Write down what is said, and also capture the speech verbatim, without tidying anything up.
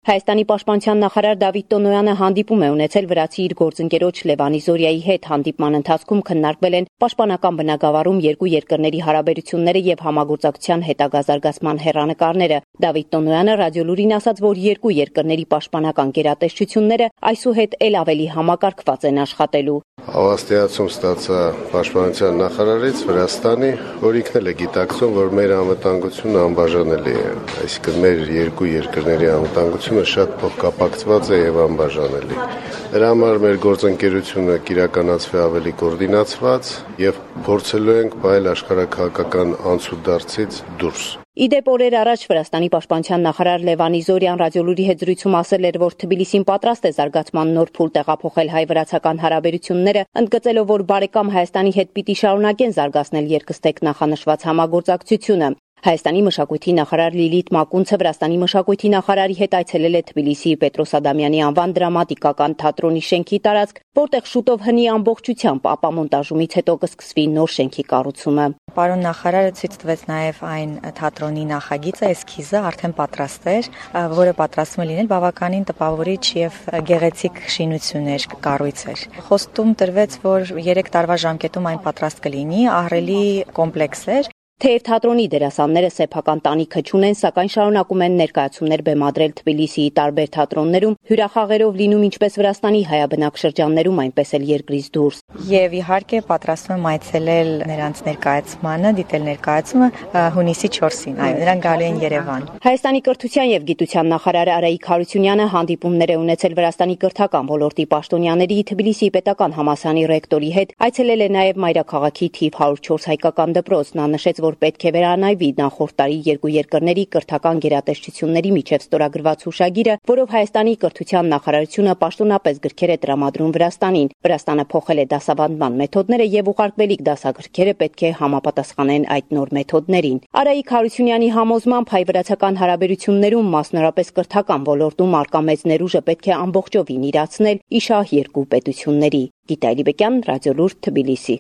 Հայաստանի պաշտպանության նախարար Դավիթ Տոնոյանը հանդիպում է ունեցել վրացի իր գործընկերոջ Լևանի Զորիայի հետ։ Հանդիպման ընթացքում քննարկվել են պաշտպանական բնագավառում երկու երկրների հարաբերությունները եւ համագործակցության հետագա զարգացման հեռանկարները։ Դավիթ Տոնոյանը ռադիոլուրին ասաց, որ երկու երկրների պաշտպանական գերատեսչությունները այսուհետ ել ավելի համակարգված են աշխատելու։ Հավաստիացում ստացա պաշտպանության նախարարից Վրաստանի, որ ինքն էլ է գիտակցում, որ մեր անվտանգությունը անբաժանելի է, այսինքն մեր երկու երկրների անվտանգությունը շատ փոխկապակցված է եւ անբաժանելի։ Դրա համար մեր գործընկերությունը կիրականացվի ավելի կոորդինացված եւ փորձելու ենք պահել աշխարհաքաղաքական անցուդարձից դուրս։ Իդեպ օրեր առաջ Վրաստանի պաշտպանության նախարար Լևանի Զորյան ռադիոլուրի հետ զրույցում ասել էր, որ Թբիլիսին պատրաստ է զարգացման նոր փուլ տեղափոխել հայ-վրացական հարաբերությունները, ընդգծելով, որ բարեկամ Հայաստանի հետ պիտի շարունակեն զարգացնել երկստեք նախանշված համագործակցությունը։ Հայաստանի մշակույթի նախարար Լիլիթ Մակունցը Վրաստանի մշակույթի նախարարի հետ այցելել է Թբիլիսիի Պետրոս Ադամյանի անվան դրամատիկական թատրոնի շենքի տարածք, որտեղ շուտով հնի ամբողջությամբ ապամոնտաժումից հետո կսկսվի նոր շենքի կառուցումը։ Պարոն նախարարը ցույց տվեց նաև այն թատրոնի նախագիծը, էսքիզը արդեն պատրաստ էր, որը պատրաստվում է լինել բավականին տպավորիչ եւ գեղեցիկ շինություններ կառույցեր։ Խոստում տրվեց, որ երեք տարվա ժամկետում այն պատրաստ կլինի, ահռելի կոմպլեքս էր։ Թեև թատրոնի դերասանները սեփական տանիքը չունեն, սակայն շարունակում են ներկայացումներ բեմադրել Թբիլիսիի տարբեր թատրոններում, հյուրախաղերով լինում ինչպես Վրաստանի հայաբնակ շրջաններում, այնպես էլ երկրից դուրս։ Եվ իհարկե պատրաստվում եմ այցելել նրանց ներկայացմանը, դիտել ներկայացումը հունիսի չորսին, այո, նրանք գալու են Երևան։ Հայաստանի կրթության եւ գիտության նախարար Արայիկ Հարությունյանը հանդիպումներ է ունեցել Վրաստանի կրթական ոլորտի պաշտոնյաների, Թբիլիսիի պետական համալսարանի ռեկտորի հետ, այցելել է նաեւ մայրաքաղաքի թիվ հարյուր չորս հայկական դպրոց։ Նա նշեց, որ պետք է վերանայվի նախորդ տարի երկու երկրների կրթական գերատեսչությունների միջև ստորագրված հուշագիրը, որով Հայաստանի կրթության նախարարությունը պաշտոնապես գրքեր է տրամադրում Վրաստանին։ Վրաստանը փոխել է դասավանդման մեթոդները եւ ուղարկվելիք դասագրքերը պետք է համապատասխանեն այդ նոր մեթոդներին։ Արայիկ Հարությունյանի համոզմամբ հայ-վրացական հարաբերություններում, մասնավորապես կրթական ոլորտում արկա մեծ ներուժը պետք է ամբողջովին իրացնել իշահ երկու պետությունների։ Գիտա Ալիբեկյան, Ռադիոլուր, Թբիլիսի։